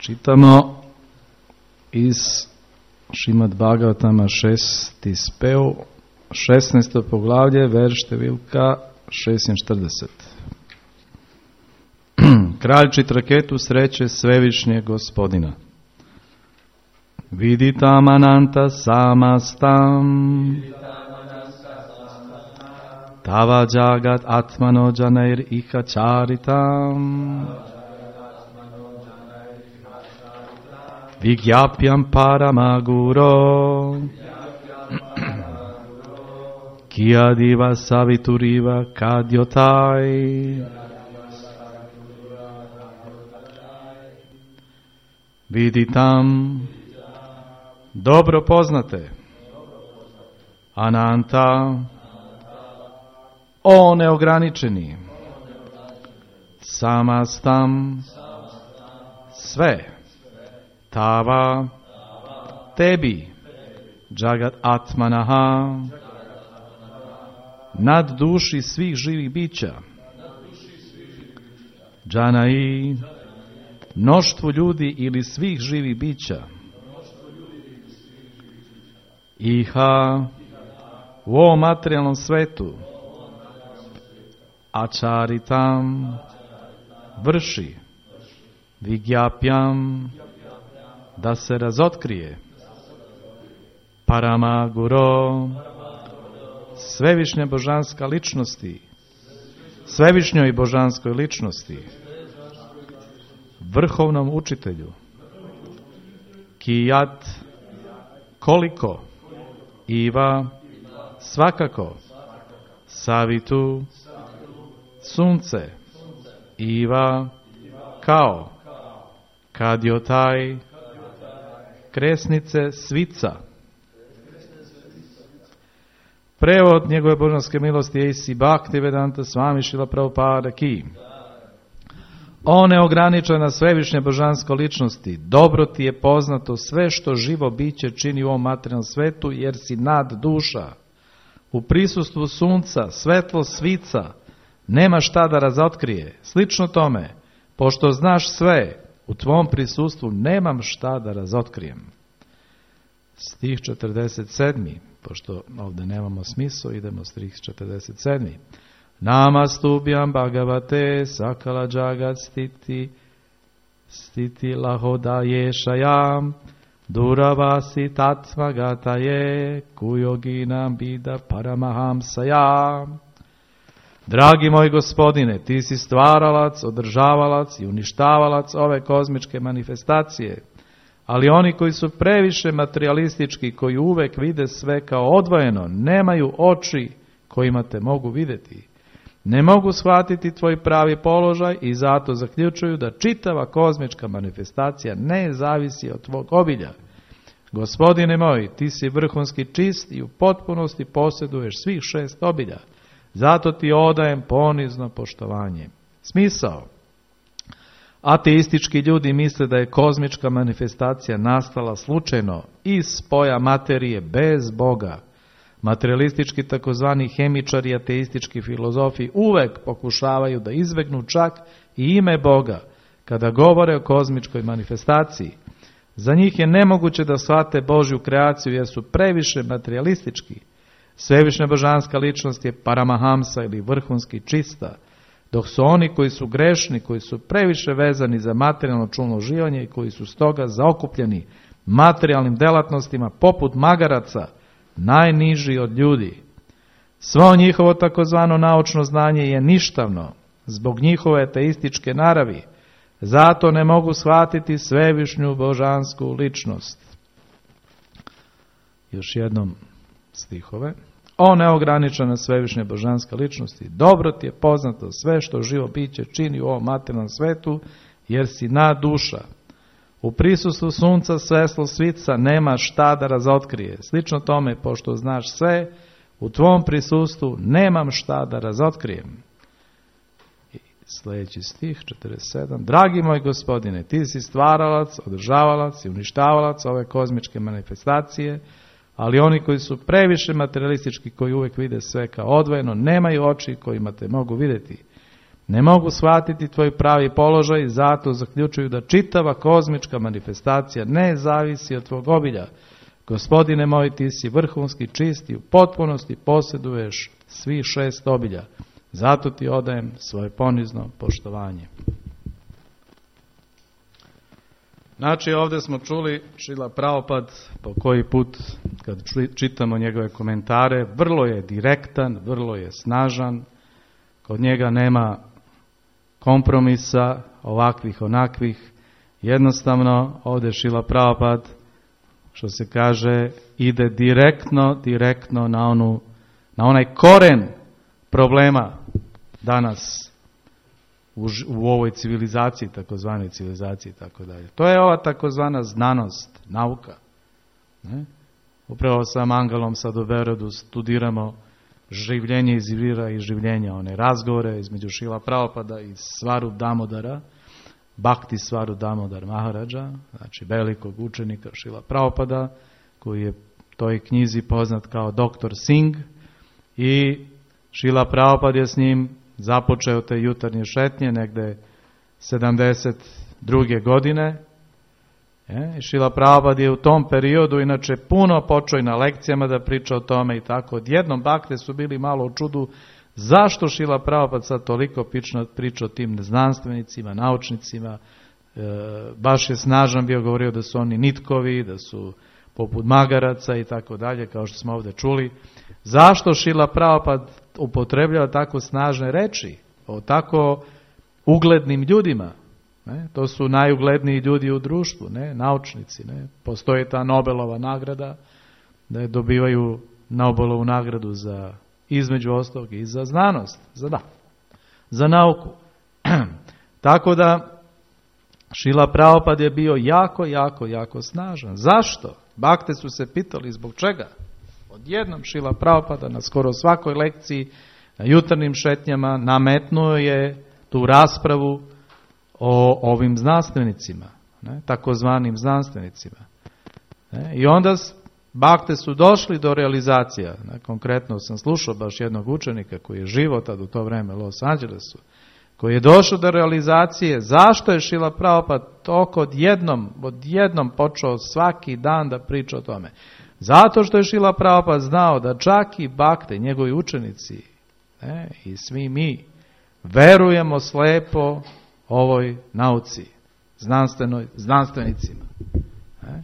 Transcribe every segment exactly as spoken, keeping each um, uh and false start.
Čitamo iz Šrimad Bhagavatama šesti speo, šesnaesto poglavlje, verš številka šestinštirideset. Kralj Čitraketu sreće Svevišnjeg Gospodina. Viditam ananta samastam tava jagat atmano janair iha charitam vigyapyam paramaguro kiyadiva savituriva kadyotai. Viditam, dobro poznate, ananta, o neograničeni, samastam, sve, tava, tebi, jagat atmanaha, nad duši svih živih bića, džanai, mnoštvu ljudi ili svih živih bića, iha, u ovom materijalnom svetu, ačaritam, vrši, vigyapyam, da se razotkrije, paramaguro, svevišnja božanska ličnosti, svevišnjoj božanskoj ličnosti, vrhovnom učitelju, kijat, koliko, iva, svakako, savitu, sunce, iva, kao, kadyotai, kresnice svica. Prevod njegove božanske milosti je Isi Bhaktivedanta Swami Srila Prabhupada ki. O neograničena svevišnja božansko ličnosti, dobro ti je poznato sve što živo biće čini u ovom materijalnom svetu, jer si nad duša. U prisustvu sunca, svetlo svica, nema šta da razotkrije. Slično tome, pošto znaš sve, u tvom prisustvu nemam šta da razotkrijem. Stih četrdeset sedmi, pošto ovdje nemamo smisao, idemo stih četrdeset sedmi. Namastubhyam Bhagavate sakala jagat stiti stiti lahodayeshayam duravasi tatvagataye kuyoginam bida paramahamsayam. Dragi moj Gospodine, ti si stvaralac, održavalac i uništavalac ove kozmičke manifestacije, ali oni koji su previše materialistički, koji uvek vide sve kao odvojeno, nemaju oči kojima te mogu vidjeti. Ne mogu shvatiti tvoj pravi položaj i zato zaključuju da čitava kozmička manifestacija ne zavisi od tvog obilja. Gospodine moj, ti si vrhunski čist i u potpunosti posjeduješ svih šest obilja. Zato ti odajem ponizno poštovanje. Smisao. Ateistički ljudi misle da je kozmička manifestacija nastala slučajno iz spoja materije bez Boga. Materialistički takozvani hemičari i ateistički filozofi uvek pokušavaju da izbegnu čak i ime Boga kada govore o kozmičkoj manifestaciji. Za njih je nemoguće da shvate Božju kreaciju jer su previše materialistički. Svevišnja božanska ličnost je paramahamsa ili vrhunski čista, dok su oni koji su grešni, koji su previše vezani za materijalno čulno uživanje i koji su stoga zaokupljeni materijalnim delatnostima poput magaraca, najniži od ljudi. Svo njihovo takozvano naučno znanje je ništavno zbog njihove ateističke naravi, zato ne mogu shvatiti svevišnju božansku ličnost. Još jednom stihove. O neograničena svevišnja božanska ličnosti, dobro ti je poznato sve što živo biće čini u ovom materijalnom svetu, jer si nad duša. U prisustvu sunca, svetlo svica nema šta da razotkrije. Slično tome, pošto znaš sve, u tvom prisustvu nemam šta da razotkrijem. I sljedeći stih, četrdeset sedam. Dragi moj Gospodine, ti si stvaralac, održavalac i uništavalac ove kozmičke manifestacije, ali oni koji su previše materialistički, koji uvek vide sve kao odvojeno, nemaju oči kojima te mogu vidjeti. Ne mogu shvatiti tvoj pravi položaj i zato zaključuju da čitava kozmička manifestacija ne zavisi od tvog obilja. Gospodine moj, ti si vrhunski, čist i u potpunosti posjeduješ svi šest obilja. Zato ti odajem svoje ponizno poštovanje. Znači, ovdje smo čuli Šrila Prabhupada po koji put kad čitamo njegove komentare, vrlo je direktan, vrlo je snažan, kod njega nema kompromisa, ovakvih, onakvih. Jednostavno, ovdje Šrila Prabhupada, što se kaže, ide direktno, direktno na, onu, na onaj koren problema danas u, u ovoj civilizaciji, takozvanoj civilizaciji i tako dalje. To je ova takozvana znanost, nauka. Ne? Upravo sa Mangalom sad u Berodu studiramo življenje iz vira i življenja, one razgovore između Šrila Prabhupada i Svarup Damodara, Bhakti Svarup Damodar Maharadža, znači velikog učenika Šrila Prabhupada, koji je toj knjizi poznat kao doktor Singh, i Šrila Prabhupada je s njim započeo te jutarnje šetnje negde sedamdeset druge godine. E, Šrila Prabhupada je u tom periodu inače puno počeo i na lekcijama da priča o tome i tako. Odjednom bakte su bili malo u čudu zašto Šrila Prabhupada sad toliko priča o tim znanstvenicima, naučnicima. E, baš je snažan bio, govorio da su oni nitkovi, da su poput magaraca i tako dalje, kao što smo ovdje čuli. Zašto Šrila Prabhupada upotrebljava tako snažne reči o tako uglednim ljudima? Ne? To su najugledniji ljudi u društvu, ne? Naučnici. Ne? Postoji ta Nobelova nagrada, da je dobivaju Nobelovu nagradu za, između ostalog, i za znanost, za, da, za nauku. Tako da Šrila Prabhupada je bio jako, jako, jako snažan. Zašto? Bakte su se pitali zbog čega. Odjednom Šrila Prabhupada na skoro svakoj lekciji, na jutarnjim šetnjama, nametnuo je tu raspravu o ovim znanstvenicima, ne, takozvanim znanstvenicima. Ne, i onda bakte su došli do realizacija. Ne, konkretno sam slušao baš jednog učenika koji je živo tad u to vreme u Los Angelesu, koji je došao do realizacije zašto je Šrila Prabhupada toliko odjednom, odjednom počeo svaki dan da priča o tome. Zato što je Šrila Prabhupada znao da čak i bakte, njegovi učenici, ne, i svi mi verujemo slepo ovoj nauci, znanstvenoj, znanstvenicima. Ne.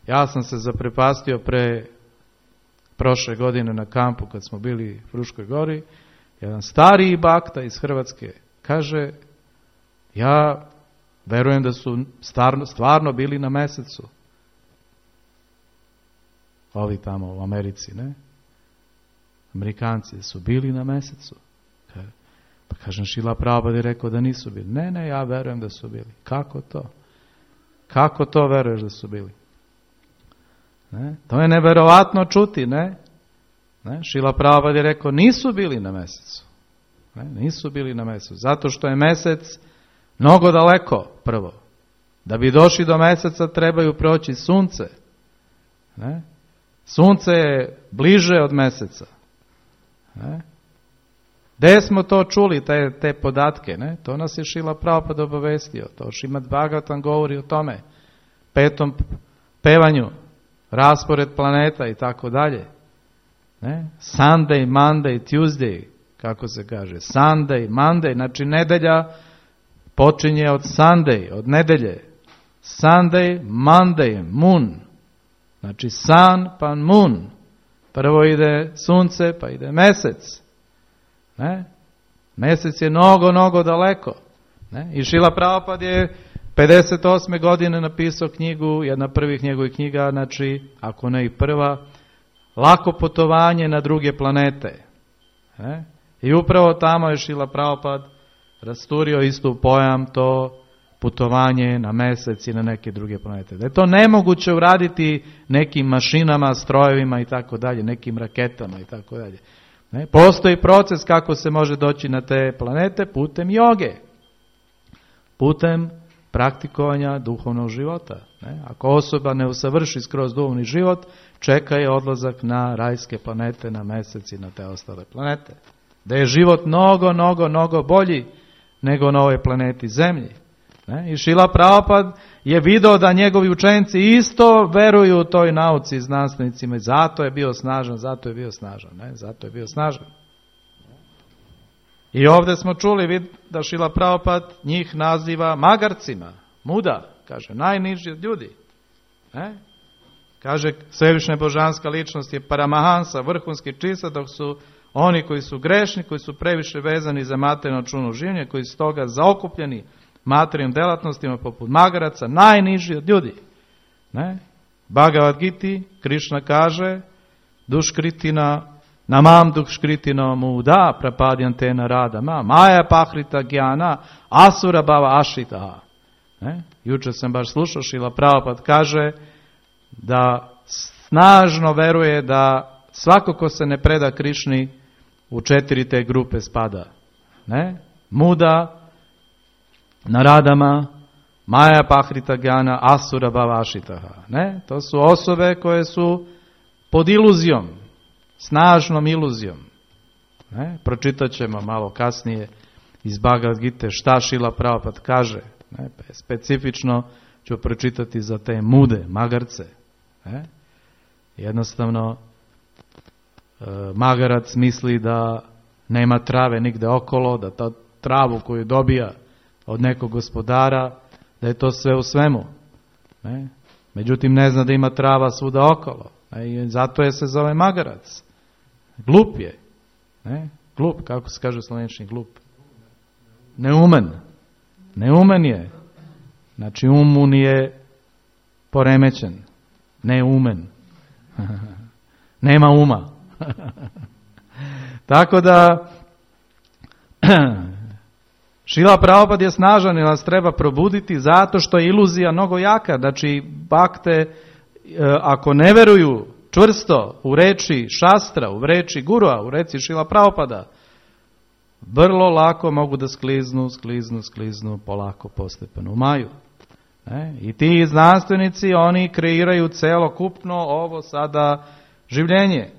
Ja sam se zaprepastio pre prošle godine na kampu kad smo bili u Fruškoj gori, jedan stariji bakta iz Hrvatske kaže, ja verujem da su stvarno, stvarno bili na mesecu. Ovi tamo u Americi, ne? Amerikanci su bili na mesecu. Pa kažem, Šrila Prabhupada je rekao da nisu bili. Ne, ne, ja verujem da su bili. Kako to? Kako to veruješ da su bili? Ne? To je neverovatno čuti, ne? Ne? Šrila Prabhupada je rekao, nisu bili na mesecu. Ne? Nisu bili na mesecu. Zato što je mesec mnogo daleko, prvo. Da bi došli do meseca trebaju proći sunce. Ne? Sunce je bliže od meseca. Ne? Gde smo to čuli, te, te podatke? Ne? To nas je Šrila Prabhupada obavestio. To Šrimad Bhagavatam govori o tome. Petom pevanju, raspored planeta i tako dalje. Ne? Sunday, Monday, Tuesday, kako se kaže. Sunday, Monday, znači nedelja počinje od Sunday, od nedelje. Sunday, Monday, moon. Znači sun pa moon. Prvo ide sunce pa ide mesec. Ne? Mesec je mnogo, mnogo daleko. Ne? I Šrila Prabhupada je pedeset osme godine napisao knjigu, jedna prvih njegovih knjiga, znači, ako ne i prva, Lako putovanje na druge planete. Ne? I upravo tamo je Šrila Prabhupada rasturio istu pojam, to putovanje na mesec i na neke druge planete. Da je to nemoguće uraditi nekim mašinama, strojevima i tako dalje, nekim raketama i tako dalje. Ne? Postoji proces kako se može doći na te planete putem joge, putem praktikovanja duhovnog života. Ne? Ako osoba ne usavrši skroz duhovni život, čeka je odlazak na rajske planete, na mesec i na te ostale planete. Da je život mnogo, mnogo, mnogo bolji nego na ovoj planeti Zemlji. Ne? I Šrila Prabhupada je video da njegovi učenici isto veruju u toj nauci i znanstvenicima i zato je bio snažan, zato je bio snažan, ne? Zato je bio snažan. I ovdje smo čuli vid da Šrila Prabhupada njih naziva magarcima, muda, kaže, najniži od ljudi. Ne? Kaže, svevišnja božanska ličnost je Paramahansa, vrhunski čista, dok su oni koji su grešni, koji su previše vezani za materijalno čuno življenje, koji su toga zaokupljeni materijalnim delatnostima poput magaraca, najniži od ljudi. Ne? Bhagavad Gita, Krišna kaže, duškritina, namam duškritina muda, prapadjantena radama, maja pahrita gyana, asura bhava ashita. Ne? Jučer sam baš slušao, Šrila Prabhupada kaže da snažno veruje da svako ko se ne preda Krišni u četiri te grupe spada. Ne? Muda, naradama, maja pahrita gyana, asura bhava ashita. Ne? To su osobe koje su pod iluzijom, snažnom iluzijom. Ne? Pročitat ćemo malo kasnije iz Bhagavad Gite šta Šrila Prabhupada kaže. Ne? Specifično ću pročitati za te mude, magarce. Ne? Jednostavno, e, magarac misli da nema trave nigde okolo, da ta travu koju dobija od nekog gospodara, da je to sve u svemu. Ne? Međutim, ne zna da ima trava svuda okolo. Ne? I zato je se zove magarac. Glup je. Ne? Glup, kako se kaže u slovenčini, glup. Neumen. Neumen je. Znači, um mu nije poremećen. Neumen. Nema uma. Tako da Šrila Prabhupada je snažan i nas treba probuditi zato što je iluzija mnogo jaka. Znači, bakte, ako ne veruju čvrsto u reči šastra, u reči gurua, u reči Šrila Prabhupada, vrlo lako mogu da skliznu, skliznu, skliznu, polako, postepeno u maju. Ne? I ti znanstvenici, oni kreiraju celokupno ovo sada življenje.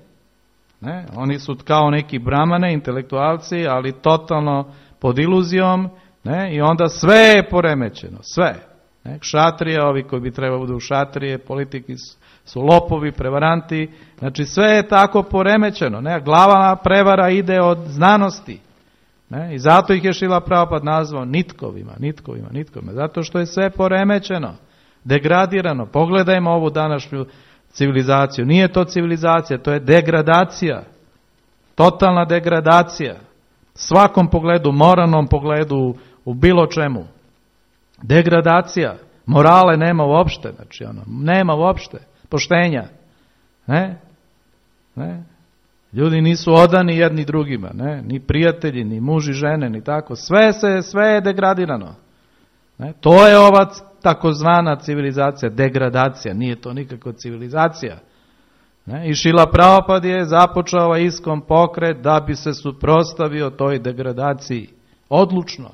Ne? Oni su kao neki brahmane, intelektualci, ali totalno pod iluzijom, ne? I onda sve je poremećeno, sve. Ne? Šatrije, ovi koji bi trebali budu šatrije, politiki su lopovi, prevaranti, znači sve je tako poremećeno. Ne? Glavna prevara ide od znanosti. Ne? I zato ih je Šrila Prabhupada nazvao nitkovima, nitkovima, nitkovima, zato što je sve poremećeno, degradirano. Pogledajmo ovu današnju civilizaciju. Nije to civilizacija, to je degradacija. Totalna degradacija. Svakom pogledu, moralnom pogledu, u bilo čemu. Degradacija. Morale nema uopšte, znači ono, nema uopšte. Poštenja. Ne? Ne? Ljudi nisu odani jedni drugima, ne? Ni prijatelji, ni muži, žene, ni tako. Sve se, sve je degradirano. Ne? To je ova takozvana civilizacija, degradacija. Nije to nikako civilizacija. Ne? I Šrila Prabhupada je započeo ovaj ISKCON pokret da bi se suprotstavio toj degradaciji. Odlučno.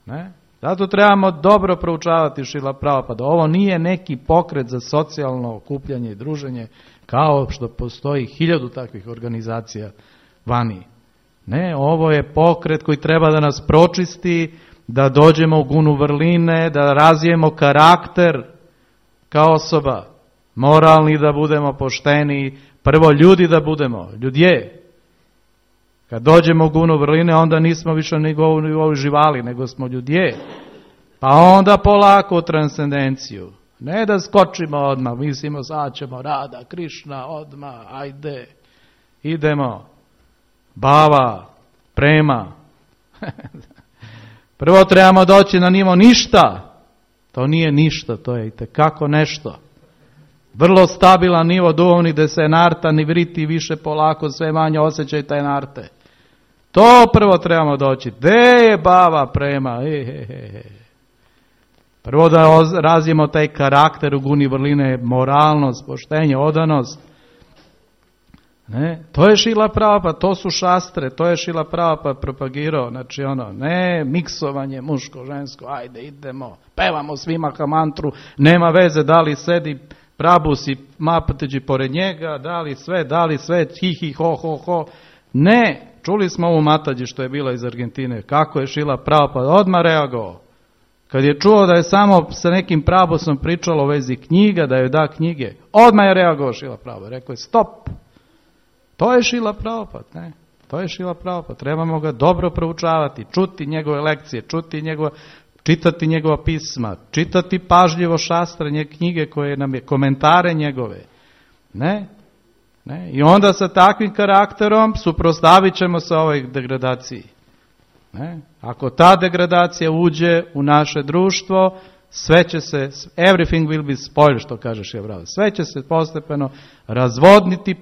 Ne? Zato trebamo dobro proučavati Šrila Prabhupada. Ovo nije neki pokret za socijalno okupljanje i druženje, kao što postoji hiljadu takvih organizacija vani. Ne, ovo je pokret koji treba da nas pročisti, da dođemo u gunu vrline, da razvijemo karakter kao osoba, moralni da budemo pošteni, prvo ljudi da budemo, ljudje. Kad dođemo u gunu vrline, onda nismo više ni nivou živali, nego smo ljudje. Pa onda polako u transcendenciju. Ne da skočimo odmah, mislimo sad ćemo Rada, Krišna, odmah, ajde, idemo, bava, prema. Prvo trebamo doći na nivo ništa. To nije ništa, to je itekako nešto. Vrlo stabilan nivo duhovni gde se narta ni vriti više polako, sve manje osjećaj taj narte. To prvo trebamo doći. Gde je bava, prema, he, he, he. Prvo da razvijemo taj karakter u guni vrline, moralnost, poštenje, odanost. Ne? To je Šrila Prabhupada, to su šastre, to je Šrila Prabhupada propagirao. Znači ono, ne miksovanje muško, žensko, ajde idemo, pevamo svi mahamantru, nema veze da li sedi Prabhus i Mapateđi pored njega, da li sve, da li sve, hi hi ho ho ho. Ne, Čuli smo ovu Matađi što je bila iz Argentine, kako je Šila Prabhupada odmah reagovao. Kad je čuo da je samo sa nekim prabosom pričalo u vezi knjiga, da joj da knjige, odmah je reagovao Šila Prabhupada. Rekao je stop, to je Šila Prabhupada, ne? To je Šila Prabhupada, trebamo ga dobro proučavati, čuti njegove lekcije, čuti njegova, čitati njegova pisma, čitati pažljivo šastre, knjige koje nam je, komentare njegove. Ne? Ne? I onda sa takvim karakterom suprotstavit ćemo se ovoj degradaciji. Ne? Ako ta degradacija uđe u naše društvo, sve će se, everything will be spoiled, što kaže Šila Prabhupada. Sve će se postepeno razvodniti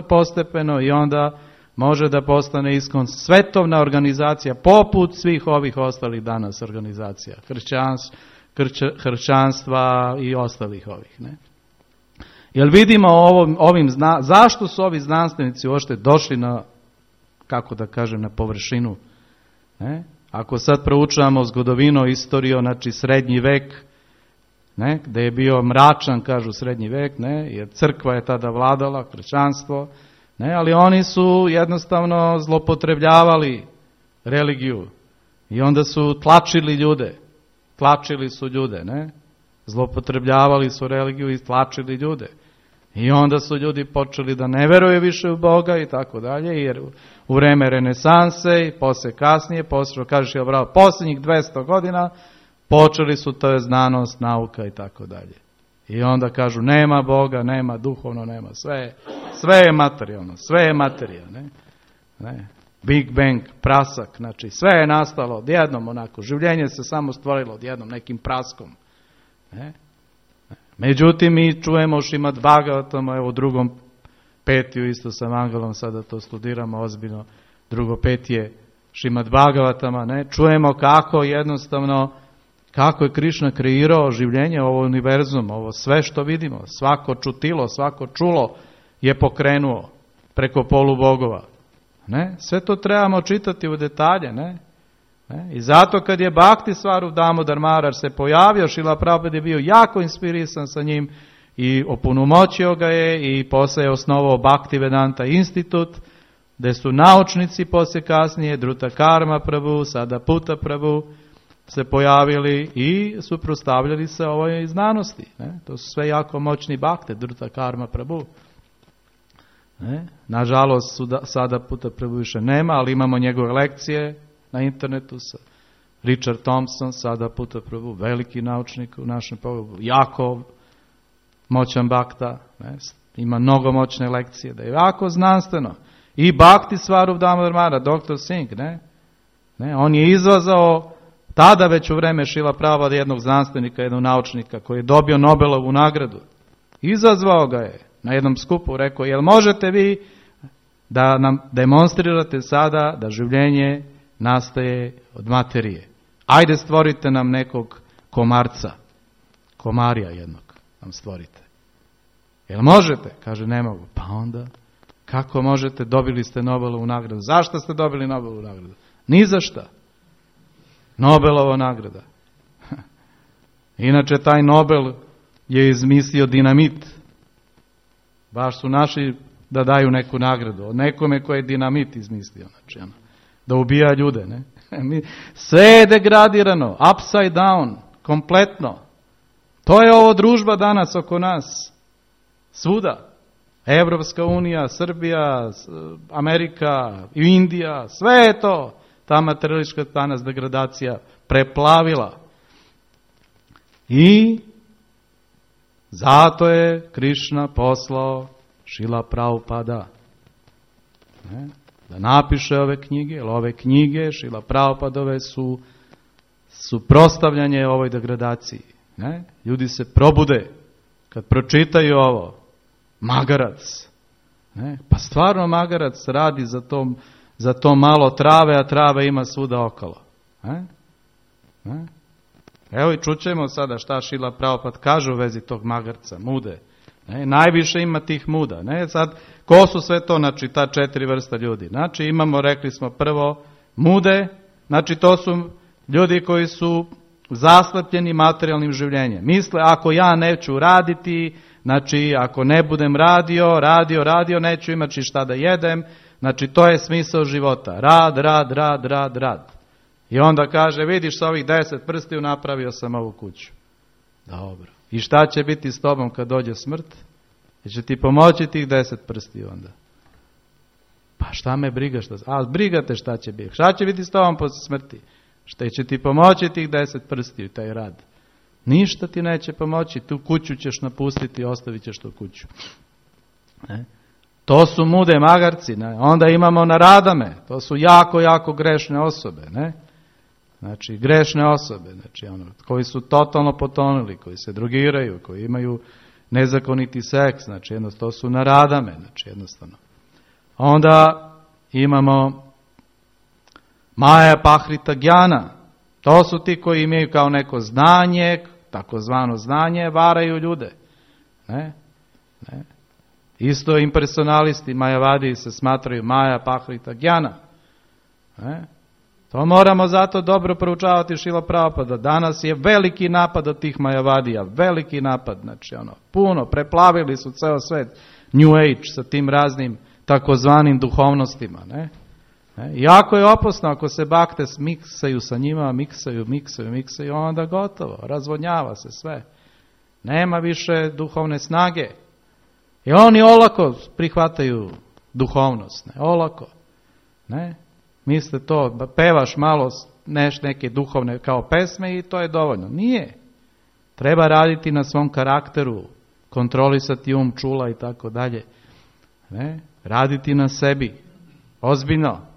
postepeno i onda može da postane ISKCON svetovna organizacija poput svih ovih ostalih danas organizacija, hršćans, hrč, hršćanstva i ostalih ovih. Ne? Jer vidimo ovim, ovim zna, zašto su ovi znanstvenici uopšte došli na, kako da kažem, na površinu. Ne? Ako sad proučavamo zgodovino, istoriju, znači srednji vek, ne? Gde je bio mračan, kažu srednji vek, ne? Jer crkva je tada vladala, hršćanstvo, ne, ali oni su jednostavno zlopotrebljavali religiju i onda su tlačili ljude, tlačili su ljude, ne, zlopotrebljavali su religiju i tlačili ljude. I onda su ljudi počeli da ne veruju više u Boga i tako dalje, jer u vreme renesanse i posle kasnije, posle, kažeš je bravo, posljednjih dvesta godina počeli su, to je znanost, nauka i tako dalje. I onda kažu nema Boga, nema duhovno, nema sve, sve je materijalno, sve je materija, ne? Ne? Big Bang, prasak, znači sve je nastalo odjednom onako, življenje se samo stvorilo odjednom nekim praskom. Ne? Međutim, mi čujemo Šrimad Bhagavatam, evo u drugom petiju isto sa Mangalom, sada to studiramo ozbiljno, drugo petije Šrimad Bhagavatama, ne? Čujemo kako jednostavno, kako je Krišna kreirao življenje, ovo univerzum, ovo sve što vidimo, svako čutilo, svako čulo je pokrenuo preko polubogova. Ne? Sve to trebamo čitati u detalje, ne? Ne? I zato kad je Bhakti Svarup Damodar Maharaj se pojavio, Šrila Prabhupada je bio jako inspirisan sa njim i opunomoćio ga je i poslije je osnovao Bhaktivedanta institut, gdje su naučnici poslije kasnije, Druta Karma Prabhu, sada Puta Prabhu, se pojavili i suprotstavljali se ovoj znanosti. Ne? To su sve jako moćni bakte, Druta Karma Prabhu. Ne? Nažalost, suda, sada Puta Prabhu više nema, ali imamo njegove lekcije na internetu sa Richard Thompson, sada Puta Prabhu, veliki naučnik u našem pogledu, jako moćan bakta, ne? Ima mnogo moćne lekcije, da je jako znanstveno. I Bhakti Svarup Damodar Maharaj, doktor Singh, ne? Ne? On je izvazao tada već u vreme Šrila Prabhupada jednog znanstvenika, jednog naučnika koji je dobio Nobelovu nagradu. Izazvao ga je na jednom skupu, rekao, jel možete vi da nam demonstrirate sada da življenje nastaje od materije? Ajde stvorite nam nekog komarca, komarija jednog nam stvorite. Jel možete? Kaže, ne mogu. Pa onda, kako možete? Dobili ste Nobelovu nagradu. Zašto ste dobili Nobelovu nagradu? Ni za šta. Nobelova nagrada. Inače, taj Nobel je izmislio dinamit. Baš su naši da daju neku nagradu. Od nekome koji je dinamit izmislio. Znači, ono, da ubija ljude. Ne? Sve je degradirano. Upside down. Kompletno. To je ovo družba danas oko nas. Svuda. Evropska unija, Srbija, Amerika, Indija. Sve je to. Ta materialistička danas degradacija preplavila. I zato je Krišna poslao Šrila Prabhupada ne, da napiše ove knjige, jer ove knjige Šrila Prabhupadove su suprotstavljanje ovoj degradaciji. Ne? Ljudi se probude kad pročitaju ovo. Magarac. Ne? Pa stvarno magarac radi za to, za to malo trave, a trave ima svuda okolo. Ne? Ne? Evo i čućemo sada šta Šrila Prabhupada kaže u vezi tog magarca, mude. Ne? Najviše ima tih muda. Ne? Sad, ko su sve to, znači ta četiri vrsta ljudi? Znači imamo, rekli smo prvo, mude, znači to su ljudi koji su zaslepljeni materijalnim življenjem. Misle, ako ja neću raditi, znači ako ne budem radio, radio, radio, neću imati šta da jedem, Znači, to je smisao života. Rad, rad, rad, rad, rad. I onda kaže, vidiš, sa ovih deset prstiju napravio sam ovu kuću. Dobro. I šta će biti s tobom kad dođe smrt? Jer će ti pomoći tih deset prstiju onda. Pa šta me briga šta... A, briga te šta će biti. Šta će biti s tobom posle smrti? Šta će ti pomoći tih deset prstiju, taj rad? Ništa ti neće pomoći. Tu kuću ćeš napustiti i ostavit ćeš tu kuću. Ne? To su mude magarci. Ne? Onda imamo naradame. To su jako, jako grešne osobe. Ne? Znači, grešne osobe. Znači, ono, koji su totalno potonuli, koji se drogiraju, koji imaju nezakoniti seks. Znači, jednostavno, to su naradame. Znači, jednostavno. Onda imamo Maja Pahrita Gjana. To su ti koji imaju kao neko znanje, takozvano znanje, varaju ljude. Ne? Ne? Isto impersonalisti, Majavadi se smatraju Maja Pahrita Gjana. Ne? To moramo zato dobro proučavati Šrila Prabhupada. Danas je veliki napad od tih Majavadija, veliki napad, znači ono, puno, preplavili su ceo svet, New Age sa tim raznim takozvanim duhovnostima, ne? Ne? Jako je opasno ako se bakte miksaju sa njima, miksaju, miksaju, miksaju, onda gotovo, razvodnjava se sve. Nema više duhovne snage. I oni olako prihvataju duhovnost, ne? Olako. Ne? Misle to, pevaš malo neš neke duhovne kao pesme i to je dovoljno. Nije. Treba raditi na svom karakteru, kontrolisati um, čula i tako dalje. Ne? Raditi na sebi. Ozbiljno.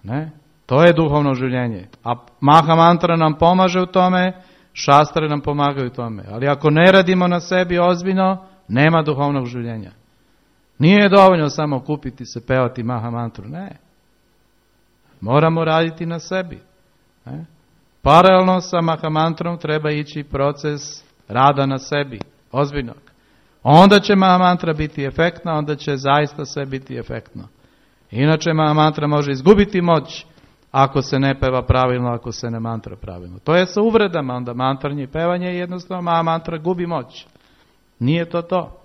Ne? To je duhovno življenje. A Maha Mantra nam pomaže u tome, šastre nam pomagaju u tome. Ali ako ne radimo na sebi ozbiljno, nema duhovnog življenja. Nije dovoljno samo kupiti se, pevati Maha Mantru. Ne. Moramo raditi na sebi. Ne? Paralelno sa Maha Mantrom treba ići proces rada na sebi. Ozbiljnog. Onda će Maha Mantra biti efektna, onda će zaista sve biti efektno. Inače Maha Mantra može izgubiti moć ako se ne peva pravilno, ako se ne mantra pravilno. To je sa uvredama, onda mantranje i pevanje jednostavno Maha Mantra gubi moć. Nije to to.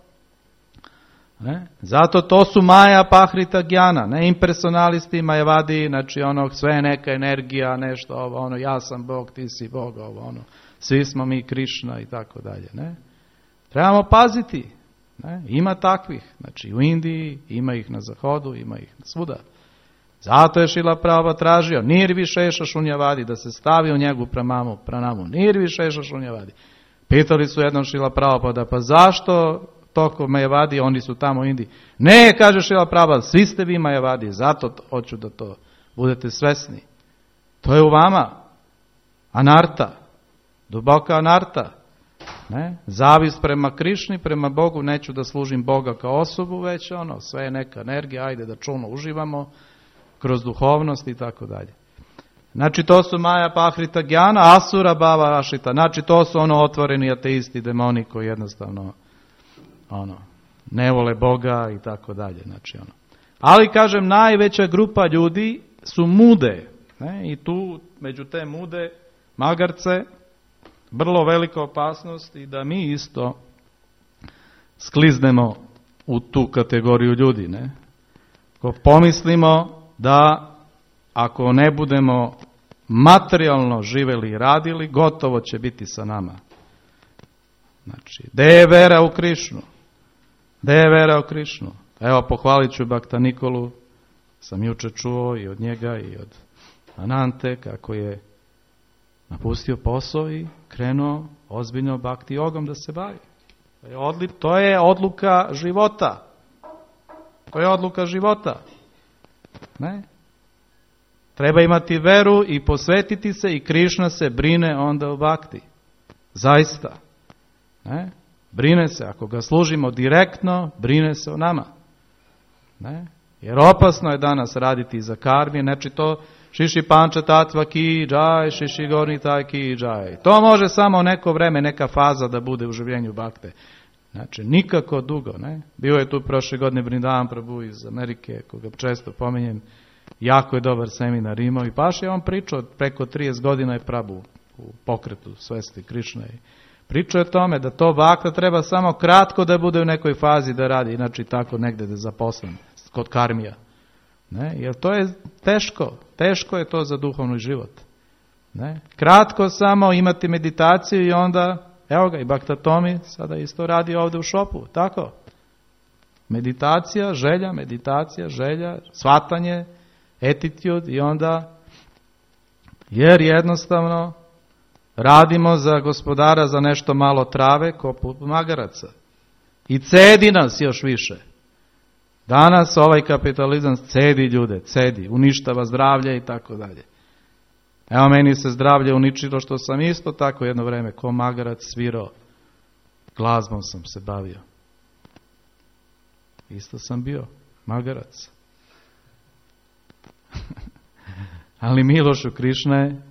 Ne? Zato to su Maja Pahrita Gjana, ne impersonalisti, Majavadi, znači ono sve neka energija, nešto ovo, ono ja sam Bog, ti si Bog, ovo, ono, svi smo mi Krišna i tako dalje. Ne? Trebamo paziti. Ne? Ima takvih, znači u Indiji, ima ih na zahodu, ima ih svuda. Zato je Šrila Prabhupada tražio Nirvi Šeša Šunjavadi, da se stavi u njegu pranamu, pranamu. Nirvi Šeša Šunjavadi. Pitali su jednom Šrila Prabhupada, pa zašto toko Majavadi, oni su tamo u Indiji? Ne, kaže Šrila Prabhupada, svi ste vi Majavadi, zato hoću da to budete svesni. To je u vama. Anarta. Duboka anarta. Ne? Zavist prema Krišni, prema Bogu, neću da služim Boga kao osobu, već ono, sve je neka energija, ajde da čulno uživamo kroz duhovnost i tako dalje. Znači to su Maja Pahrita Gjana, Asura Bhava Ashita, znači to su ono otvoreni ateisti, demoni koji jednostavno ono, ne vole Boga i tako dalje. Znači, ono. Ali kažem, najveća grupa ljudi su mude. Ne? I tu među te mude magarce vrlo velika opasnost i da mi isto skliznemo u tu kategoriju ljudi. Ne? Ko pomislimo da ako ne budemo materijalno živeli i radili, gotovo će biti sa nama. Znači, gde je vera u Krišnu? Gde je vera u Krišnu? Evo, pohvalit ću Bhakta Nikolu, sam juče čuo i od njega i od Anante, kako je napustio posao i krenuo ozbiljno bhakti jogom da se bavi. To je, odli, to je odluka života. To je odluka života. Ne? Treba imati veru i posvetiti se i Krišna se brine onda o bhakti. Zaista. Ne? Brine se, ako ga služimo direktno, brine se o nama. Ne? Jer opasno je danas raditi za karmi, znači to Šiši Panča Tatva ki džaj, Šiši Gorni taj ki džaj. To može samo neko vreme, neka faza da bude u življenju bhakte. Znači, nikako dugo. Ne? Bio je tu prošle godine Vrindavan Prabhu iz Amerike, koga često pominjem, jako je dobar seminar imao i baš je on pričao, preko trideset godina je Prabhu u pokretu svesti Krišne. Pričao je o tome da to bhakta treba samo kratko da bude u nekoj fazi da radi, inače tako negde da je zaposlen kod karmija. Ne? Jer to je teško. Teško je to za duhovni život. Ne? Kratko samo imati meditaciju i onda, evo ga, i Bhakta Tomi sada isto radi ovdje u šopu. Tako. Meditacija, želja, meditacija, želja, shvatanje, attitude i onda, jer jednostavno radimo za gospodara za nešto malo trave poput magaraca. I cedi nas još više. Danas ovaj kapitalizam cedi ljude, cedi, uništava zdravlje i tako dalje. Evo meni se zdravlje uničilo što sam isto tako jedno vreme ko magarac svirao. Glazbom sam se bavio. Isto sam bio magarac. Ali Milošu Krišna je,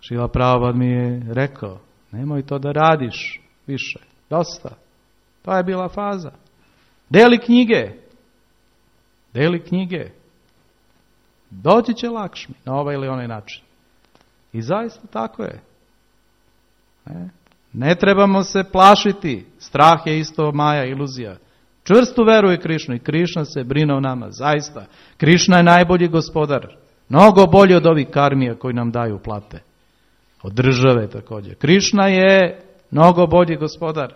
Šrila Prabhupada mi je rekao, nemoj to da radiš više, dosta. To je bila faza. Deli knjige, deli knjige. Doći će Lakšmi na ovaj ili onaj način. I zaista tako je. Ne, ne trebamo se plašiti. Strah je isto maja, iluzija. Čvrsto veruje Krišnu i Krišna se brine o nama. Zaista. Krišna je najbolji gospodar. Mnogo bolji od ovih karmija koji nam daju plate. Od države također. Krišna je mnogo bolji gospodar.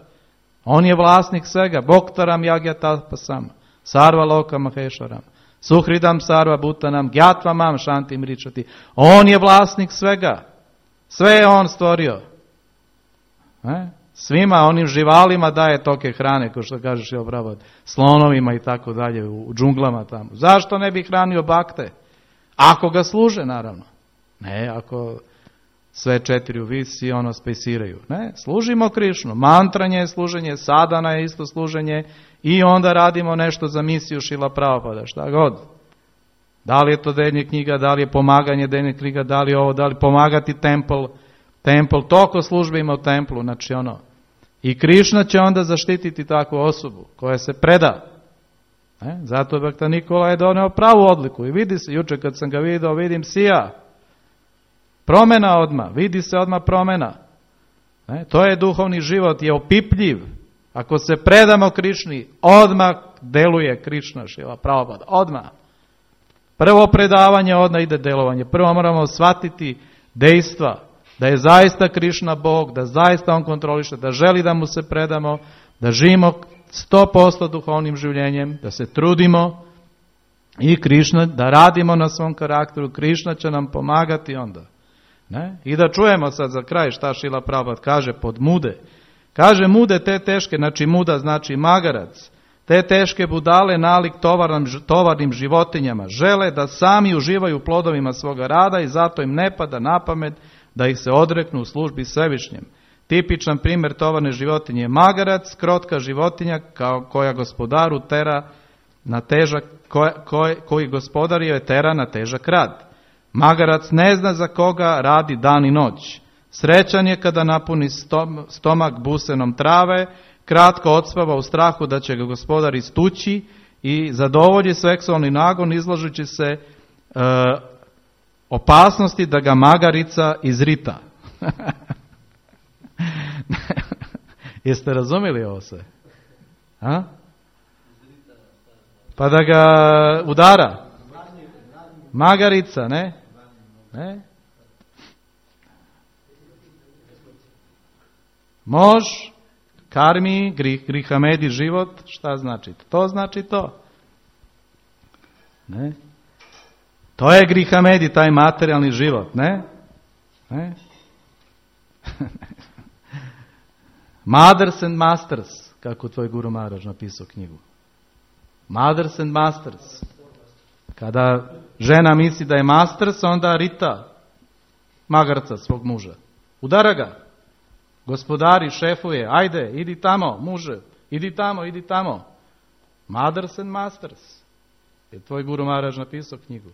On je vlasnik svega. Bhoktaram Yagyatapasam. Sarva Loka Maheshwaram. Suhridam Sarva Bhutanam. Gyatva Shantim Ričati. On je vlasnik svega. Sve je on stvorio. E? Svima onim živalima daje toke hrane, kao što kažeš je Prabhupada, slonovima i tako dalje, u džunglama tamo. Zašto ne bi hranio bakte? Ako ga služe, naravno. Ne, ako sve četiri visi, ono spesiraju. Ne, služimo Krišnu. Mantranje je služenje, sadana je isto služenje i onda radimo nešto za misiju Šrila Prabhupada, šta god. Da li je to deljenje knjiga, da li je pomaganje deljenje knjiga, da li je ovo, da li pomagati templ, templ, toliko službe ima u templu, znači ono. I Krišna će onda zaštititi takvu osobu koja se preda. E, zato Bhakta Nikola je doneo pravu odliku i vidi se, juče kad sam ga vidio, vidim sija. Promjena odmah, vidi se odmah promjena. E, to je duhovni život, je opipljiv. Ako se predamo Krišni, odmah deluje Krišna, Šrila Prabhupada, odmah. Prvo predavanje, odmah ide delovanje. Prvo moramo shvatiti dejstva, da je zaista Krišna Bog, da zaista On kontroliše, da želi da mu se predamo, da živimo sto posto duhovnim življenjem, da se trudimo i Krišna, da radimo na svom karakteru, Krišna će nam pomagati onda. Ne? I da čujemo sad za kraj šta Šrila Prabhupada kaže pod mude. Kaže mude te teške, znači muda znači magarac, te teške budale nalik tovarnim, tovarnim životinjama, žele da sami uživaju plodovima svoga rada i zato im ne pada na pamet da ih se odreknu u službi Svevišnjem. Tipičan primjer tovarne životinje je magarac, krotka životinja kao koja gospodaru tera na težak, koja, koji, koji gospodar je tera na težak rad. Magarac ne zna za koga radi dan i noć. Srećan je kada napuni stom, stomak busenom trave, kratko odspava u strahu da će ga gospodar istući i zadovolji seksualni nagon izlažući se e, opasnosti da ga magarica izrita. Jeste razumjeli ovo sve? A? Pa da ga udara. Magarica, ne? Ne? Mož, karmi, grih, grihamedi život, šta znači? To znači to. Ne? To je grihamedi, taj materijalni život, ne? Ne? Mothers and Masters, kako tvoj Guru Maharaj napisao knjigu. Mothers and Masters. Kada žena misli da je masters, onda rita magarca svog muža. Udara ga. Gospodari, šefuje, ajde, idi tamo, muže, idi tamo, idi tamo. Mothers and Masters. Je tvoj Guru Maharaj napisao knjigu.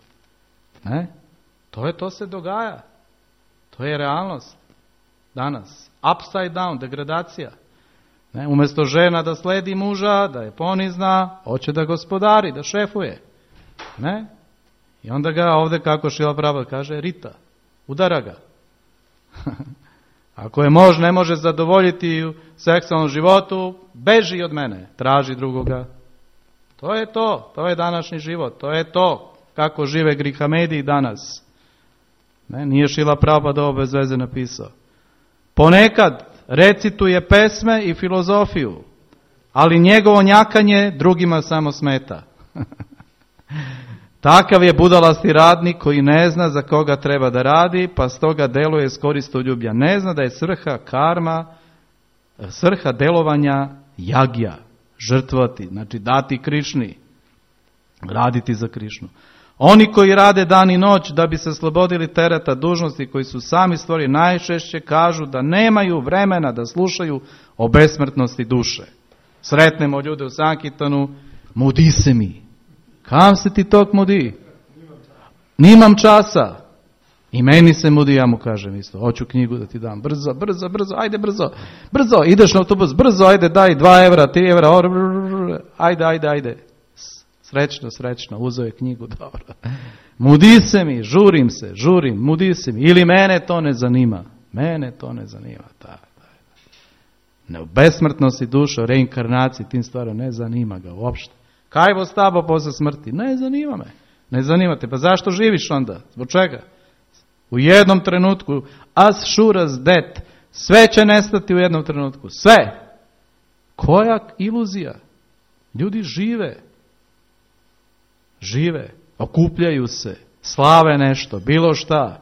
Ne? To je, to se dogaja. To je realnost. Danas. Upside down, degradacija. Ne? Umjesto žena da sledi muža, da je ponizna, hoće da gospodari, da šefuje. Ne? I onda ga ovdje, kako Šrila Prabhupada kaže, rita. Udara ga. Ako je mož ne može zadovoljiti u seksualnom životu, beži od mene, traži drugoga. To je to, to je današnji život, to je to kako žive grihamediji danas. Ne, nije Šrila Prabhupada ovo bez veze napisao. Ponekad recituje pesme i filozofiju, ali njegovo njakanje drugima samo smeta. Takav je budalasti radnik koji ne zna za koga treba da radi, pa stoga deluje iz koristoljublja. Ne zna da je svrha karma, svrha delovanja jagja, žrtvati, znači dati Krišni, raditi za Krišnu. Oni koji rade dan i noć da bi se slobodili tereta dužnosti koji su sami stvorili, najčešće kažu da nemaju vremena da slušaju o besmrtnosti duše. Sretnemo ljude u Sankirtanu, mudi se mi. Kam se ti tok mudi? Nimam časa. I meni se mudi, ja mu kažem isto, hoću knjigu da ti dam, brzo, brzo, brzo, ajde brzo, brzo, ideš na autobus, brzo, ajde daj dva evra, tri evra, ajde, ajde, ajde. Srećno, srećno, uzeo je knjigu, dobro. Mudi se mi, žurim se, žurim, mudi se mi. Ili mene to ne zanima. Mene to ne zanima. Da, da, da. Ne, besmrtnosti duše, reinkarnaciji, tim stvarima ne zanima ga uopšte. Kaj bo s tabo posle smrti? Ne zanima me. Ne zanima te. Pa zašto živiš onda? Zbog čega? U jednom trenutku, as sure as death, sve će nestati u jednom trenutku. Sve. Koja iluzija? Ljudi žive. Žive, okupljaju se, slave nešto, bilo šta,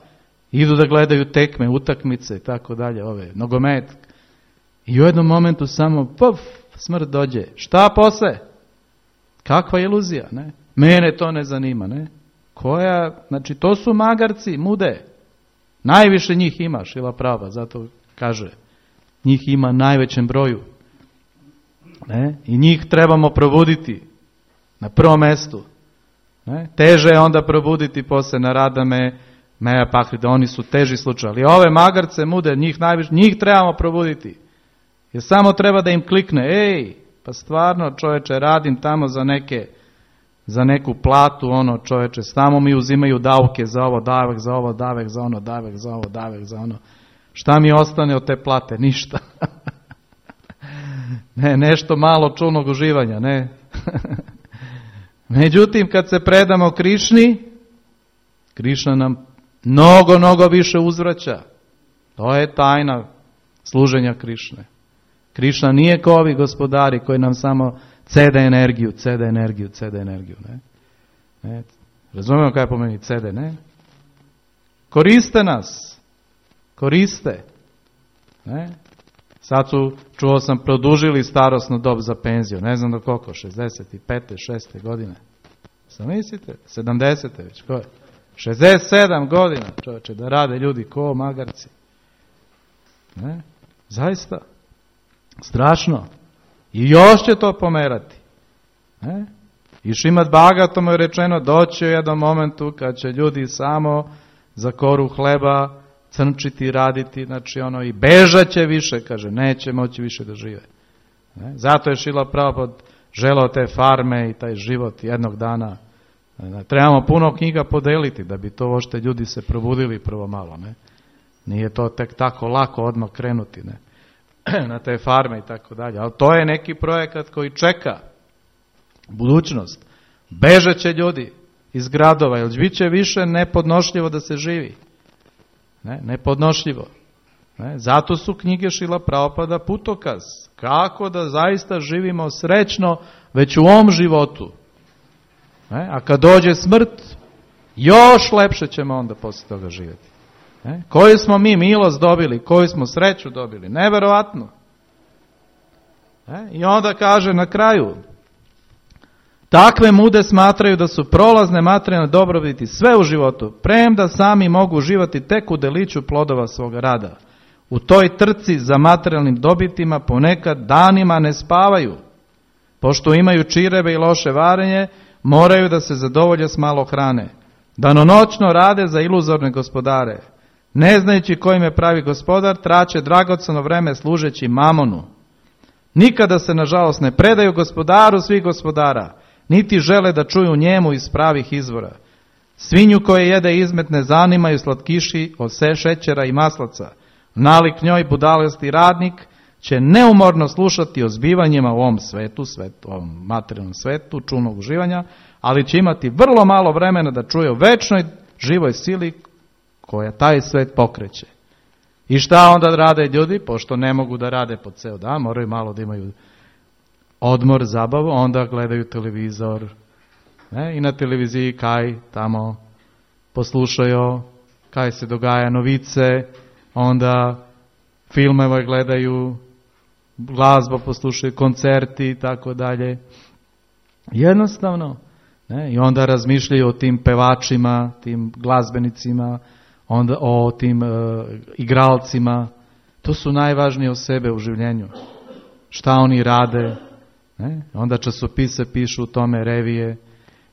idu da gledaju tekme, utakmice i tako dalje, ove, nogomet. I u jednom momentu samo, puf, smrt dođe. Šta posle? Kakva iluzija, ne? Mene to ne zanima, ne? Koja, znači to su magarci, mude. Najviše njih ima, Šrila Prabhupada, zato kaže, njih ima najvećem broju. Ne? I njih trebamo probuditi na prvom mestu. Ne? Teže je onda probuditi posle Naradame, Meja Pahrida, oni su teži slučaj. Ali ove magarce, mude, njih najviše, njih trebamo probuditi. Jer samo treba da im klikne, ej, pa stvarno čoveče, radim tamo za neke, za neku platu, ono čoveče, samo mi uzimaju davke za ovo, davek za ovo, davek za ono, davek za ovo, davek za ono. Šta mi ostane od te plate? Ništa. Ne, nešto malo čulnog uživanja, ne. Međutim, kad se predamo Krišni, Krišna nam mnogo, mnogo više uzvraća. To je tajna služenja Krišne. Krišna nije kao ovi gospodari koji nam samo cede energiju, cede energiju, cede energiju. Ne? Ne? Razumemo kaj pomeni cede, ne? Koriste nas. Koriste. Ne? Sad su, čuo sam, produžili starosnu dob za penziju. Ne znam do koliko, šezdeset pete, šeste godine. Sam mislite? sedamdesete već, ko je? šezdeset sedam godina, čovječe, da rade ljudi ko magarci. Ne? Zaista. Strašno. I još će to pomerati. Ne? I Šrimad Bhagavatom je rečeno, doći u jednom momentu kad će ljudi samo za koru hleba crnčiti, raditi, znači ono i bežat će više, kaže, neće moći više da žive. Ne? Zato je Šrila Prabhupada želeo te farme i taj život jednog dana. Ne? Trebamo puno knjiga podeliti da bi to ošte ljudi se probudili prvo malo. Ne? Nije to tek tako lako odmah krenuti, ne? Na te farme i tako dalje. Ali to je neki projekat koji čeka budućnost. Bežat će ljudi iz gradova, jer bit će više nepodnošljivo da se živi. Ne, nepodnošljivo. Ne, zato su knjige Šrila Prabhupada putokaz. Kako da zaista živimo srećno već u ovom životu. Ne, a kad dođe smrt, još lepše ćemo onda poslije toga živjeti. Ne, koju smo mi milost dobili, koju smo sreću dobili. Neverovatno. Ne, i onda kaže na kraju, takve mude smatraju da su prolazne materijalne dobrobiti sve u životu, premda sami mogu uživati tek u deliću plodova svoga rada. U toj trci za materijalnim dobitima ponekad danima ne spavaju. Pošto imaju čirebe i loše varenje, moraju da se zadovolje s malo hrane. Danonoćno rade za iluzorne gospodare. Ne znajući kojim je pravi gospodar, traće dragoceno vreme služeći mamonu. Nikada se, nažalost, ne predaju gospodaru svih gospodara, niti žele da čuju njemu iz pravih izvora. Svinju koje jede izmet ne zanimaju slatkiši od šećera i maslaca. Nalik njoj budalosti radnik, će neumorno slušati o zbivanjima u ovom svetu, svetu, ovom materijalnom svetu, čulnog uživanja, ali će imati vrlo malo vremena da čuje o večnoj živoj sili koja taj svet pokreće. I šta onda rade ljudi? Pošto ne mogu da rade po ceo dan, moraju malo da imaju odmor, zabavu, onda gledaju televizor. Ne? I na televiziji kaj tamo poslušaju, kaj se dogaja novice, onda filmove gledaju, glazbu poslušaju, koncerti i tako dalje. Jednostavno. Ne? I onda razmišljaju o tim pevačima, tim glazbenicima, onda o tim uh, igralcima. To su najvažnije osobe u življenju. Šta oni rade. Ne? Onda časopise pišu u tome, revije.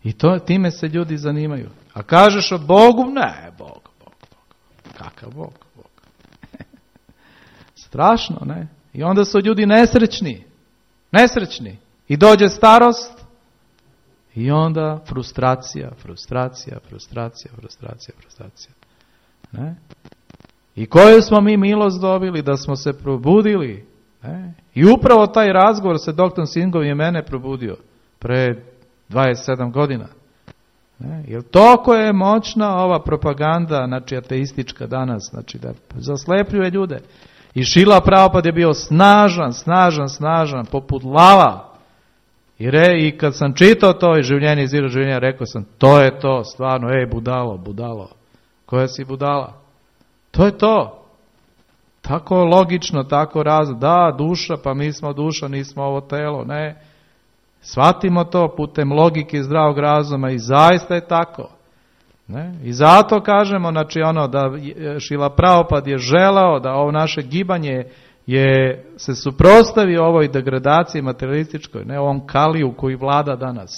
I to, time se ljudi zanimaju. A kažeš o Bogu? Ne, Bog, Bog, Bog. Kakav Bog, Bog. Strašno, ne? I onda su ljudi nesrećni. Nesrećni. I dođe starost. I onda frustracija, frustracija, frustracija, frustracija, frustracija. Ne? I koju smo mi milost dobili da smo se probudili. Ne? I upravo taj razgovor sa doktorom Singom je mene probudio pre dvadeset sedam godina. Ne? Jer toliko je moćna ova propaganda, znači ateistička danas, znači da zaslepljuje ljude. I Šrila Prabhupada je bio snažan, snažan, snažan, poput lava. I, re, I kad sam čitao to i življenje iz življenja, rekao sam, to je to, stvarno, ej, budalo, budalo. Koja si budala? To je to. Tako logično, tako razno. Da, duša, pa mi smo duša, nismo ovo telo. Ne. Shvatimo to putem logike i zdravog razuma i zaista je tako. Ne. I zato kažemo, znači ono, da Šrila Prabhupada je želeo da ovo naše gibanje je se suprotstavi ovoj degradaciji materialističkoj, ne ovom kaliju koji vlada danas.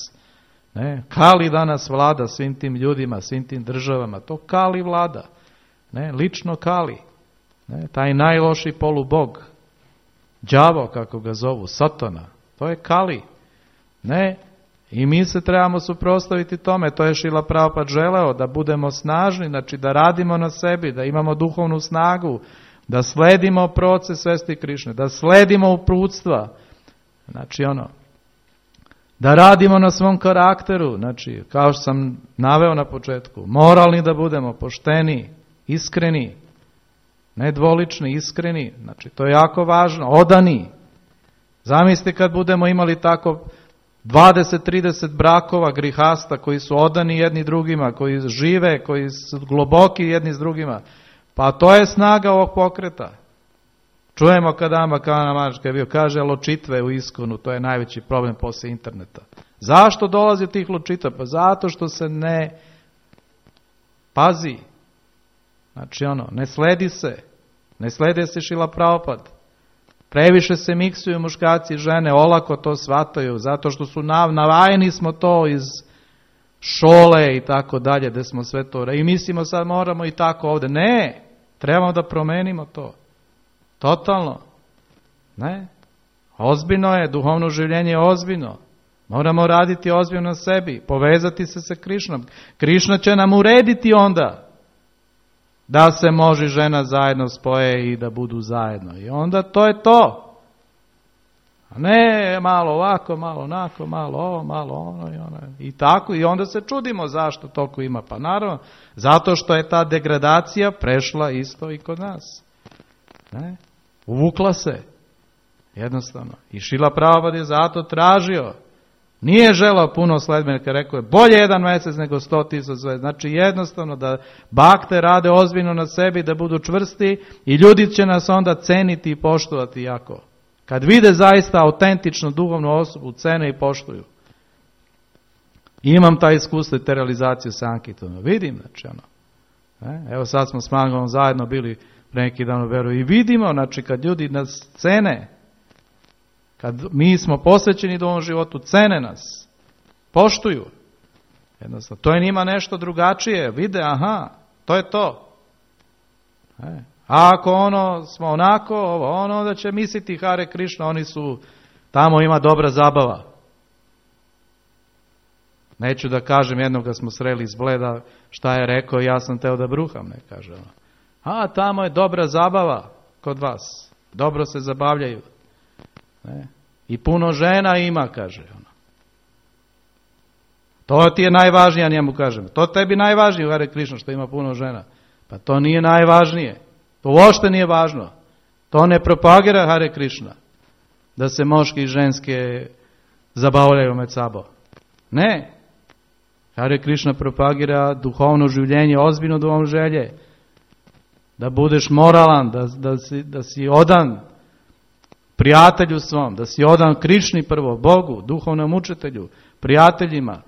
Ne, Kali danas vlada svim tim ljudima, svim tim državama. To Kali vlada. Ne, lično Kali. Ne, taj najloši polubog. Đavo, kako ga zovu, Satana. To je Kali. Ne, i mi se trebamo suprotstaviti tome. To je Šrila Prabhupada želeo, da budemo snažni, znači da radimo na sebi, da imamo duhovnu snagu, da sledimo proces svesti Krišne, da sledimo uputstva. Znači ono, da radimo na svom karakteru, znači kao što sam naveo na početku, moralni da budemo, pošteni, iskreni, nedvolični, iskreni, znači to je jako važno, odani. Zamislite kad budemo imali tako dvadeset trideset brakova grihasta koji su odani jedni drugima, koji žive, koji su globoki jedni s drugima, pa to je snaga ovog pokreta. Čujemo kada Amakana Maharaj bio, kaže ločitve u Iskonu, to je najveći problem posle interneta. Zašto dolazi tih ločita? Pa zato što se ne pazi. Znači ono, ne sledi se. Ne slede se Šrila Prabhupada. Previše se miksuju muškarci i žene, olako to shvataju, zato što su nav, navajeni smo to iz šole i tako dalje, gde smo sve to. I mislimo sad moramo i tako ovde. Ne, trebamo da promenimo to. Totalno. Ne? Ozbiljno je, duhovno življenje je ozbiljno. Moramo raditi ozbiljno na sebi, povezati se sa Krišnom. Krišna će nam urediti onda da se može žena zajedno spoje i da budu zajedno. I onda to je to. A ne malo ovako, malo onako, malo ovo, malo ono i ono. I tako, i onda se čudimo zašto toliko ima. Pa naravno, zato što je ta degradacija prešla isto i kod nas. Ne? Uvukla se. Jednostavno. I Šrila Prabhupada je zato tražio. Nije želao puno sledbenika, rekao je bolje jedan mjesec nego sto tisuća. Znači jednostavno da bakte rade ozbiljno na sebi, da budu čvrsti i ljudi će nas onda ceniti i poštovati jako. Kad vide zaista autentičnu duhovnu osobu, cene i poštuju. I imam taj iskustvo i te realizaciju sa Ankitom. Vidim, znači ono. Evo sad smo s Mangom zajedno bili neki dan u Veru i vidimo, znači kad ljudi nas cene, kad mi smo posvećeni duhovnom životu, cene nas, poštuju. Jednostavno, to je njima nešto drugačije, vide, aha, to je to. E. A ako ono smo onako, ovo, ono, onda će misliti Hare Krišna, oni su, tamo ima dobra zabava. Neću da kažem, jednog da smo sreli iz Bleda, šta je rekao, ja sam teo da bruham, ne kaže ono. A, tamo je dobra zabava kod vas. dobro se zabavljaju. Ne? I puno žena ima, kaže ono. To ti je najvažnije, njemu kažem. To tebi najvažnije, Hare Krishna, što ima puno žena. Pa to nije najvažnije. To uopšte nije važno. To ne propagira Hare Krishna. Da se moški i ženske zabavljaju med sabo. Ne. Hare Krishna propagira duhovno življenje, ozbiljno duhovno želje. Da budeš moralan, da, da, si, da si odan prijatelju svom, da si odan Krišni prvo, Bogu, duhovnom učitelju, prijateljima,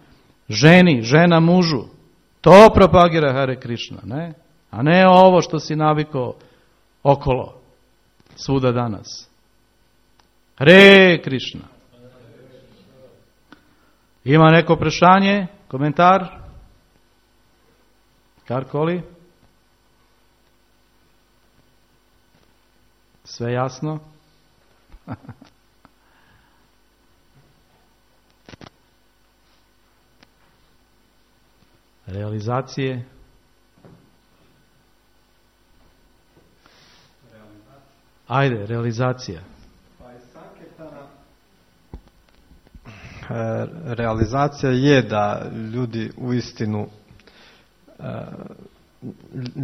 ženi, žena mužu. To propagira Hare Krishna, ne? A ne ovo što si navikao okolo, svuda danas. Hare Krishna. Ima neko prešanje, komentar? Karkoli? Sve jasno? Realizacije? Ajde, realizacija. Realizacija je da ljudi uistinu,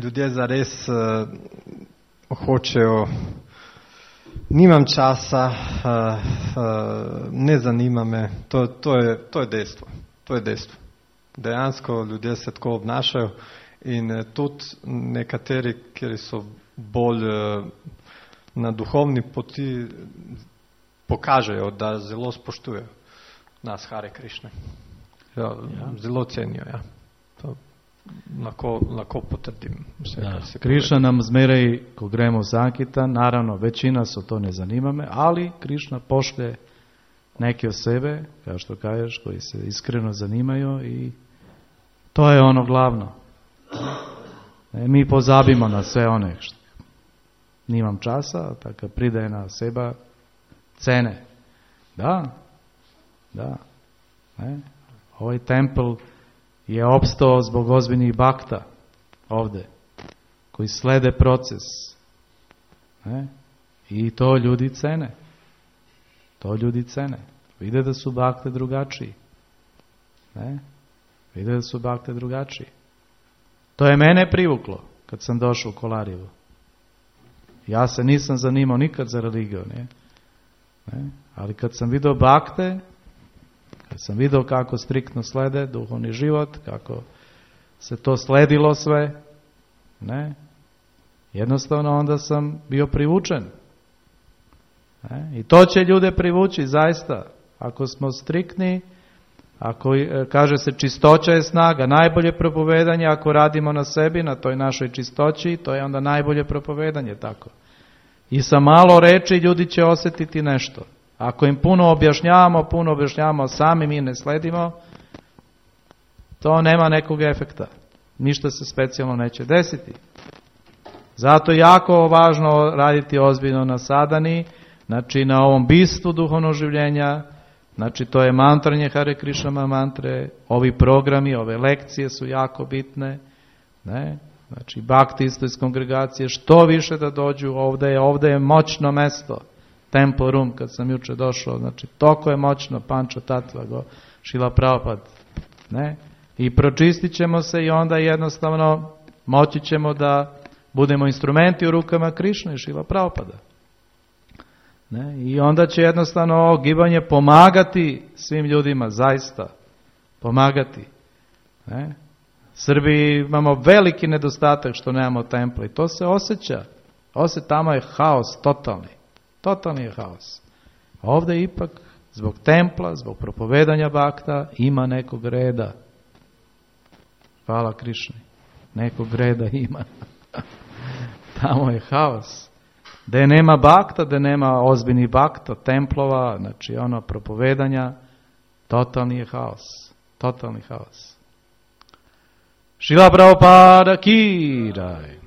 ljudje zares hočejo, nimam časa, ne zanima me, to, to, je, to je dejstvo. To je dejstvo. Dejansko ljudje se tako obnašajo in tudi nekateri, kjer so bolj na duhovni poti, pokažejo, da zelo spoštujejo nas Hare Krishne. Ja, ja. Zelo cenijo, ja. To lahko, lahko potrdim vse, ja. Kar se Krishna nam zmeraj, ko gremo v Sankitan, naravno, većina so to ne zanima me, ali Krishna pošlje neke osobe, kao što kažeš, koji se iskreno zanimaju i to je ono glavno. E, mi pozabimo na sve one što nimam časa, tako pridaje na seba cene. Da, da. Ne? Ovaj tempel je opstao zbog ozbiljnih bakta ovdje, koji slede proces. Ne? I to ljudi cene. To ljudi cene. Vide da su bakte drugačiji. Ne? Vide da su bakte drugačiji. To je mene privuklo kad sam došao u Kolarijevo. Ja se nisam zanimao nikad za religiju. Ne? Ne? Ali kad sam vidio bakte, kad sam vidio kako striktno slede duhovni život, kako se to sledilo sve, ne? Jednostavno onda sam bio privučen. Ne? I to će ljude privući zaista. Ako smo striktni, ako kaže se čistoća je snaga, najbolje propovedanje, ako radimo na sebi, na toj našoj čistoći, to je onda najbolje propovedanje, tako. I sa malo reči ljudi će osjetiti nešto. Ako im puno objašnjavamo, puno objašnjavamo, sami mi ne sledimo, to nema nekog efekta. Ništa se specijalno neće desiti. Zato je jako važno raditi ozbiljno na sadani, znači na ovom bistvu duhovnog življenja, znači to je mantranje Hare Krishna mantre, ovi programi, ove lekcije su jako bitne, ne? Znači bhakti isto iz kongregacije, što više da dođu, ovdje je, ovdje je moćno mesto, Temple Room, kad sam juče došao, znači toko je moćno, Panča Tatva, go, Šila Prabhupada, ne? I pročistit ćemo se i onda jednostavno moći ćemo da budemo instrumenti u rukama Krišne i Šila Prabhupada. Ne? I onda će jednostavno ovo gibanje pomagati svim ljudima, zaista pomagati. Ne? Srbiji imamo veliki nedostatak što nemamo temple i to se osjeća. Osjeća, tamo je haos totalni. Totalni je haos. Ovdje ipak zbog templa, zbog propovedanja bakta ima nekog reda. Hvala Krišni. Nekog reda ima. Tamo je haos. Da nema bakta, da nema ozbiljnih bakta, templova, znači ono propovedanja, totalni je haos. Totalni haos. Šrila Prabhupada ki jai.